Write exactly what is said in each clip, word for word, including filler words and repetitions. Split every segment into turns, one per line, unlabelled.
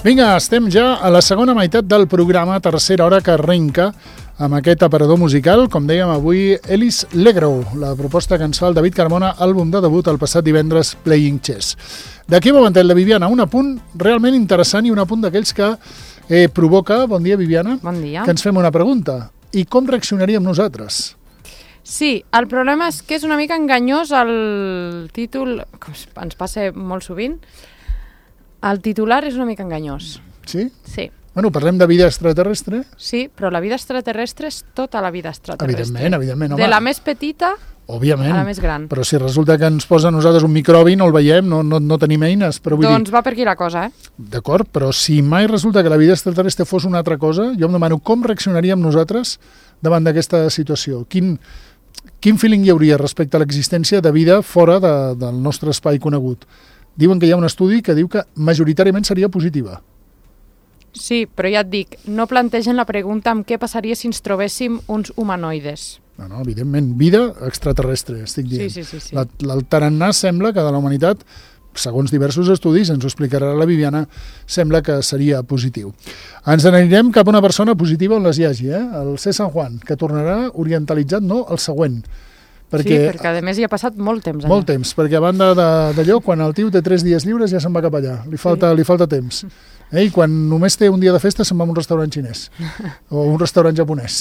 Vinga, estem ja a la segona meitat del programa, tercera hora que arrenca amb aquest aparador musical. Com dèiem avui, Elis Legro, la proposta que ens fa el David Carmona, àlbum de debut el passat divendres, Playing Chess. D'aquí un momentet, la Viviana, un apunt realment interessant i un apunt d'aquells que eh, provoca, bon dia Viviana,
bon dia,
que ens fem una pregunta. I com reaccionaríem nosaltres?
Sí, el problema és que és una mica enganyós el títol, com ens passa molt sovint. El titular és una mica enganyós.
Sí?
Sí.
Bueno, parlem de vida extraterrestre.
Sí, però la vida extraterrestre és tota la vida extraterrestre.
Evidentment, evidentment. Home.
De la més petita
Òbviament,
a la més gran.
Però si resulta que ens posa a nosaltres un microbi, no el veiem, no, no, no tenim eines. Però vull
doncs
dir...
va per aquí la cosa, eh?
D'acord, però si mai resulta que la vida extraterrestre fos una altra cosa, jo em demano com reaccionaríem nosaltres davant d'aquesta situació. Quin, quin feeling hi hauria respecte a l'existència de vida fora de, del nostre espai conegut? Diuen que hi ha un estudi que diu que majoritàriament seria positiva.
Sí, però ja et dic, no plantegen la pregunta amb què passaria si ens trobéssim uns humanoides.
No, no, evidentment, vida extraterrestre, estic dient.
Sí, sí, sí, sí.
La, el tarannà sembla que de la humanitat, segons diversos estudis, ens ho explicarà la Viviana, sembla que seria positiu. Ens n'anirem cap a una persona positiva on les hi hagi, eh? El C. San Juan, que tornarà orientalitzat, no, el següent. Perquè,
sí, perquè a més hi ha passat molt temps allà.
Molt temps, perquè a banda d'allò, quan el tio té tres dies lliures ja se'n va cap allà, li falta, sí. li falta temps. Eh? I quan només té un dia de festa se'n va a un restaurant xinès o un restaurant japonès.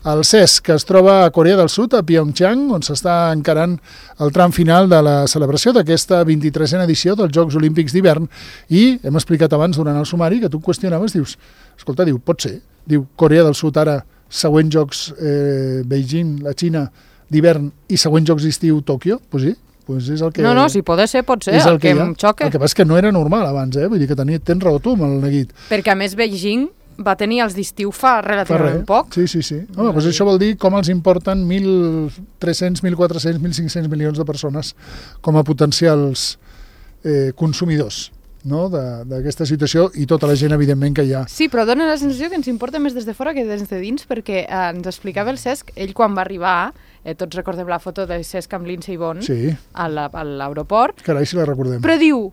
El Cesc, que es troba a Corea del Sud, a Pyeongchang, on s'està encarant el tram final de la celebració d'aquesta vint-i-tresena edició dels Jocs Olímpics d'hivern, i hem explicat abans durant el sumari que tu qüestionaves, dius, escolta, diu, pot ser, diu, Corea del Sud ara, següents Jocs eh, Beijing, la Xina, d'hivern i següents jocs d'estiu Tòquio, doncs pues sí, pues és el que...
No, no, si pot ser, pot ser,
el,
el que, que em xoca.
El que passa és que no era normal abans, eh? Vull dir que tenia, tens raó tu amb el neguit.
Perquè a més Beijing va tenir els d'estiu fa relativament fa poc.
Sí, sí, sí. Home, doncs això vol dir com els importen mil tres-cents, mil quatre-cents, mil cinc-cents milions de persones com a potencials eh, consumidors, no? d'aquesta situació, i tota la gent, evidentment, que hi ha.
Sí, però dona la sensació que ens importa més des de fora que des de dins, perquè eh, ens explicava el Cesc, ell quan va arribar, eh, tots recordem la foto de Cesc amb Lindsey Vonn
sí.
a l'aeroport.
Carai, si la recordem.
Però diu,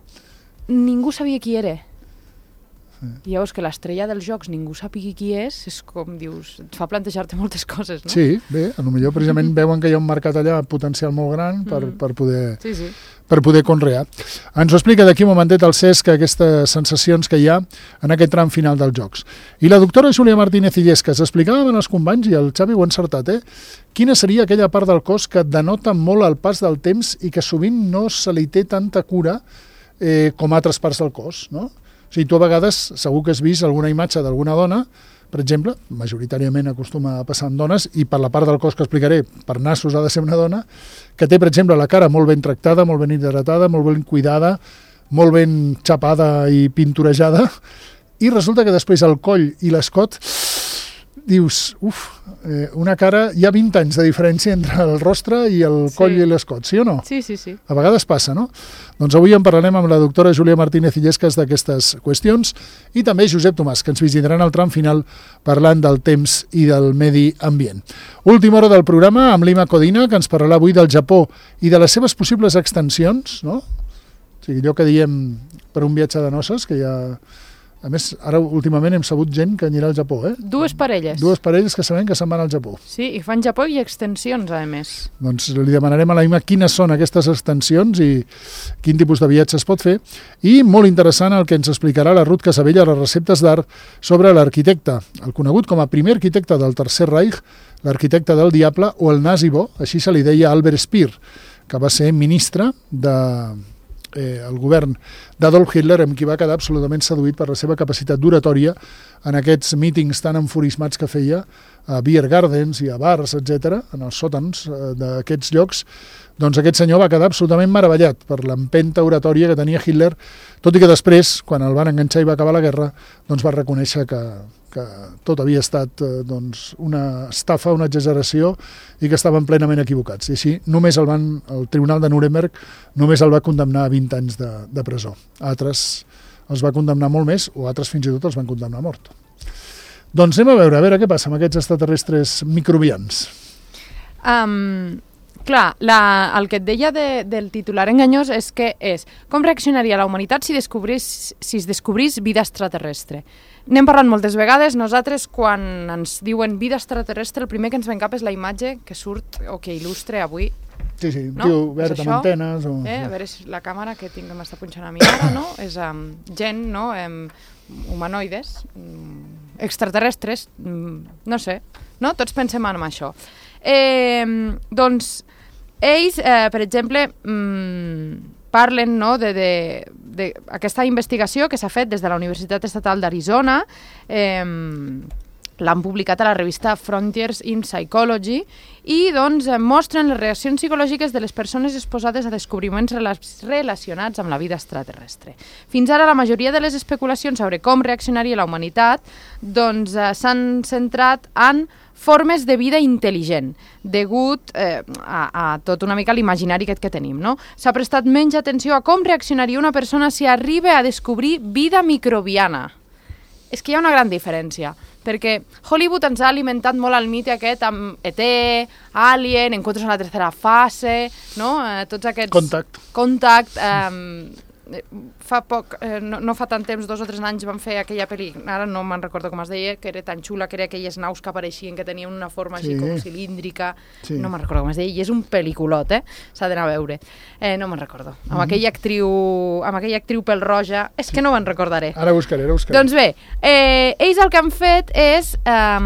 ningú sabia qui era. I llavors que l'estrella dels jocs ningú sàpiga qui és, és com dius, et fa plantejar-te moltes coses, no?
Sí, bé, a lo millor precisament veuen que hi ha un mercat allà potencial molt gran per, mm. per poder...
Sí, sí.
per poder conrear. Ens ho explica d'aquí un momentet el Cesc, aquestes sensacions que hi ha en aquest tram final dels Jocs. I la doctora Júlia Martínez Illescas, explicàvem als companys, i el Xavi ho ha encertat, eh? Quina seria aquella part del cos que denota molt el pas del temps i que sovint no se li té tanta cura eh, com altres parts del cos, no? O sigui, tu a vegades segur que has vist alguna imatge d'alguna dona, per exemple, majoritàriament acostuma a passar amb dones, i per la part del cos que explicaré, per nassos ha de ser una dona, que té, per exemple, la cara molt ben tractada, molt ben hidratada, molt ben cuidada, molt ben xapada i pinturejada, i resulta que després el coll i l'escot, dius, uf, eh, una cara, hi ha vint anys de diferència entre el rostre i el
sí.
coll i l'escot, sí o no?
Sí, sí, sí.
A vegades passa, no? Doncs avui en parlarem amb la doctora Júlia Martínez Illescas d'aquestes qüestions, i també Josep Tomàs, que ens visitaran al tram final parlant del temps i del medi ambient. Última hora del programa amb l'Ima Codina, que ens parlarà avui del Japó i de les seves possibles extensions, no? O sigui, allò que diem per un viatge de noces, que ja... A més, ara últimament hem sabut gent que anirà al Japó, eh?
Dues parelles.
Dues parelles que sabem que se'n van al Japó.
Sí, i fan Japó i extensions, a més.
Doncs li demanarem a la Ima quines són aquestes extensions i quin tipus de viatge es pot fer. I molt interessant el que ens explicarà la Ruth Casabella a les receptes d'art sobre l'arquitecte, el conegut com a primer arquitecte del Tercer Reich, l'arquitecte del diable o el nazi bo, així se li deia Albert Speer, que va ser ministre de... Eh, el govern d'Adolf Hitler, amb qui va quedar absolutament seduït per la seva capacitat d'oratòria en aquests mítings tan enfurismats que feia a beer gardens i a bars, etcètera, en els sòtans eh, d'aquests llocs, doncs aquest senyor va quedar absolutament meravellat per l'empenta oratòria que tenia Hitler, tot i que després, quan el van enganxar i va acabar la guerra, doncs va reconèixer que, que tot havia estat eh, doncs, una estafa, una exageració i que estaven plenament equivocats. I així només el, van, el Tribunal de Nuremberg només el va condemnar a vint anys de, de presó. Altres els va condemnar molt més, o altres fins i tot els van condemnar a mort. Doncs anem a veure, a veure què passa amb aquests extraterrestres microbians.
Um, clar, la, el que et deia de, del titular enganyós és que és com reaccionaria la humanitat si, descobrís, si es descobrís vida extraterrestre. N'hem parlat moltes vegades, nosaltres quan ens diuen vida extraterrestre el primer que ens ven cap és la imatge que surt o que il·lustre avui.
Sí, sí,
no?
Tio verd amb antenes. O...
Eh, a veure si la càmera que tinc que m'està punxant a mi ara, no? És um, gent, no? Um, humanoides, um, extraterrestres, um, no sé, no? Tots pensem en això. Eh, doncs, ells, eh, per exemple, mm, parlen no, d'aquesta investigació que s'ha fet des de la Universitat Estatal d'Arizona, eh, l'han publicat a la revista Frontiers in Psychology i doncs, mostren les reaccions psicològiques de les persones exposades a descobriments relacionats amb la vida extraterrestre. Fins ara, la majoria de les especulacions sobre com reaccionaria la humanitat doncs, eh, s'han centrat en formes de vida intel·ligent, degut eh, a, a tot una mica l'imaginari aquest que tenim. No? S'ha prestat menys atenció a com reaccionaria una persona si arriba a descobrir vida microbiana. És que hi ha una gran diferència, perquè Hollywood ens ha alimentat molt el mite aquest amb E T, Alien, Encuentros en la tercera fase, no? Eh, tots aquests...
Contact.
Contact. Eh, fa poc, eh, no, no fa tant temps, dos o tres anys van fer aquella pel·li, ara no me'n recordo com es deia, que era tan xula, que era aquelles naus que apareixien, que tenien una forma sí. així com cilíndrica, sí. no me'n recordo com es deia, i és un pel·liculot, eh? S'ha d'anar a veure. Eh, no me'n recordo. Amb mm-hmm. aquella actriu, amb aquella actriu pèl-roja, és que no me'n recordaré.
Ara buscaré, ara buscaré.
Doncs bé, eh, ells el que han fet és eh,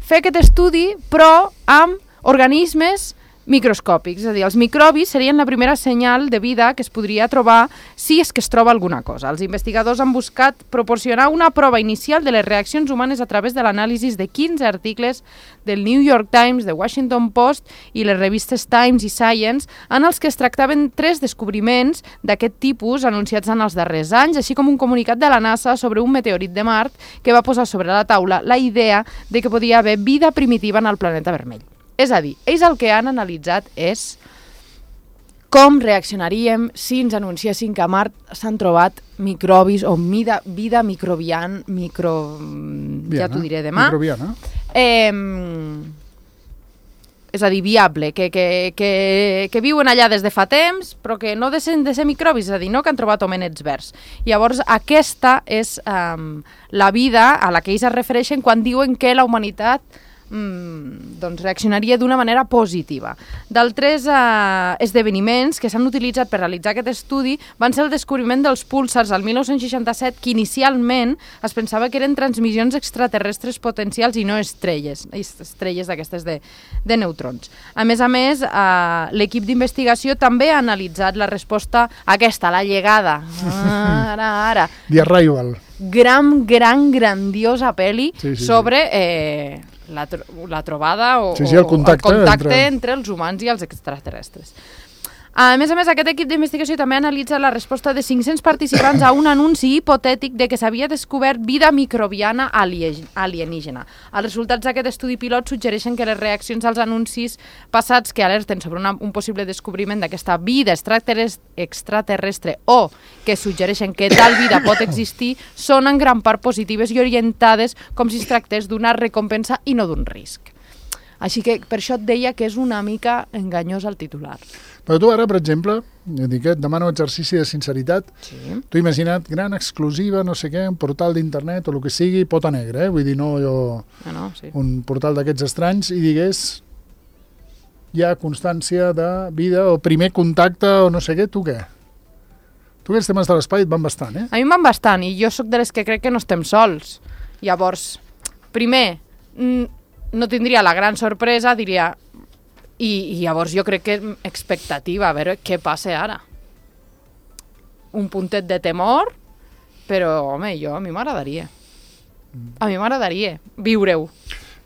fer aquest estudi, però amb organismes microscòpics, és a dir, els microbis serien la primera senyal de vida que es podria trobar si és que es troba alguna cosa. Els investigadors han buscat proporcionar una prova inicial de les reaccions humanes a través de l'anàlisi de quinze articles del New York Times, The Washington Post i les revistes Times i Science, en els que es tractaven tres descobriments d'aquest tipus anunciats en els darrers anys, així com un comunicat de la NASA sobre un meteorit de Mart que va posar sobre la taula la idea de que podia haver vida primitiva en el planeta vermell. És a dir, ells el que han analitzat és com reaccionaríem si ens anunciessin que a Mart s'han trobat microbis o vida, vida microbiana, micro... Viana, ja t'ho diré demà.
Microbiana.
Eh, és a dir, viable, que, que, que, que viuen allà des de fa temps, però que no deixen de ser microbis, és a dir, no que han trobat homenets verds. Llavors, aquesta és eh, la vida a la que ells es refereixen quan diuen que la humanitat Mm, doncs reaccionaria d'una manera positiva. D'altres eh, esdeveniments que s'han utilitzat per realitzar aquest estudi van ser el descobriment dels púlsars al mil nou-cents seixanta-set, que inicialment es pensava que eren transmissions extraterrestres potencials i no estrelles, estrelles d'aquestes de, de neutrons. A més a més, eh, l'equip d'investigació també ha analitzat la resposta aquesta, la llegada. Ara, ara.
The Arrival.
Gran, gran, grandiosa pel·li
sí, sí,
sobre... Eh, La, tro la trobada o,
sí, sí, el contacte,
o el contacte entre...
entre
entre els humans i els extraterrestres. A més a més, aquest equip d'investigació també ha analitzat la resposta de cinc-cents participants a un anunci hipotètic de que s'havia descobert vida microbiana alienígena. Els resultats d'aquest estudi pilot suggereixen que les reaccions als anuncis passats que alerten sobre una, un possible descobriment d'aquesta vida extraterrestre o que suggereixen que tal vida pot existir són en gran part positives i orientades com si es tractés d'una recompensa i no d'un risc. Així que per això et deia que és una mica enganyós el titular.
Però tu ara, per exemple, dic, et demano exercici de sinceritat,
sí.
Tu imagina't gran exclusiva, no sé què, un portal d'internet o el que sigui, pota negra, eh? Vull dir, no jo...
Ah, no, sí.
Un portal d'aquests estranys i digués hi ha constància de vida o primer contacte o no sé què, tu què? Tu aquests temes de l'espai et van bastant, eh?
A mi em van bastant i jo sóc de les que crec que no estem sols. Llavors, primer... no tindria la gran sorpresa, diria... I, I llavors jo crec que expectativa, a veure què passa ara. Un puntet de temor, però, home, jo a mi m'agradaria. A mi m'agradaria viure-ho.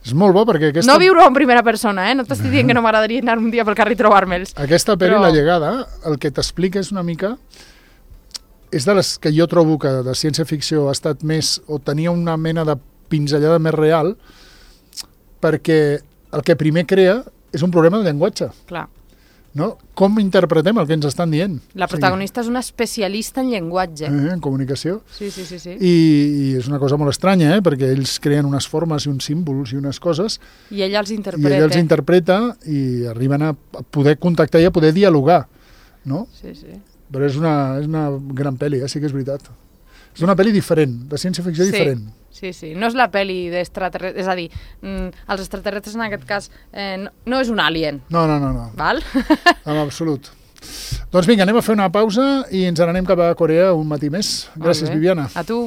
És molt bo perquè aquesta...
No viure-ho en primera persona, eh? No t'estic dient que no m'agradaria anar un dia pel carrer i trobar-me'ls.
Aquesta pel·li,
Però-
La llegada, el que t'explica és una mica... És de les que jo trobo que de ciència-ficció ha estat més... o tenia una mena de pinzellada més real, perquè el que primer crea és un problema de llenguatge.
Clar.
No? Com interpretem el que ens estan dient?
La protagonista és una especialista en llenguatge.
Eh, en comunicació.
Sí, sí, sí, sí.
I, I és una cosa molt estranya, eh? Perquè ells creen unes formes i uns símbols i unes coses,
I ella els
i
interpreta.
ella els interpreta i arriben a poder contactar i a poder dialogar, no?
Sí, sí.
Però és una, és una gran pel·li, eh? Sí que és veritat. És una pel·li diferent, de ciència-ficció
Sí.
diferent.
Sí, sí. No és la pel·li d'extraterrestres, és a dir, mm, els extraterrestres en aquest cas eh, no, no és un alien,
No, no, no, no,
val?
en absolut. Doncs vinga, anem a fer una pausa i ens n'anem cap a Corea un matí més. Gràcies,
Molt bé.
Viviana.
A tu.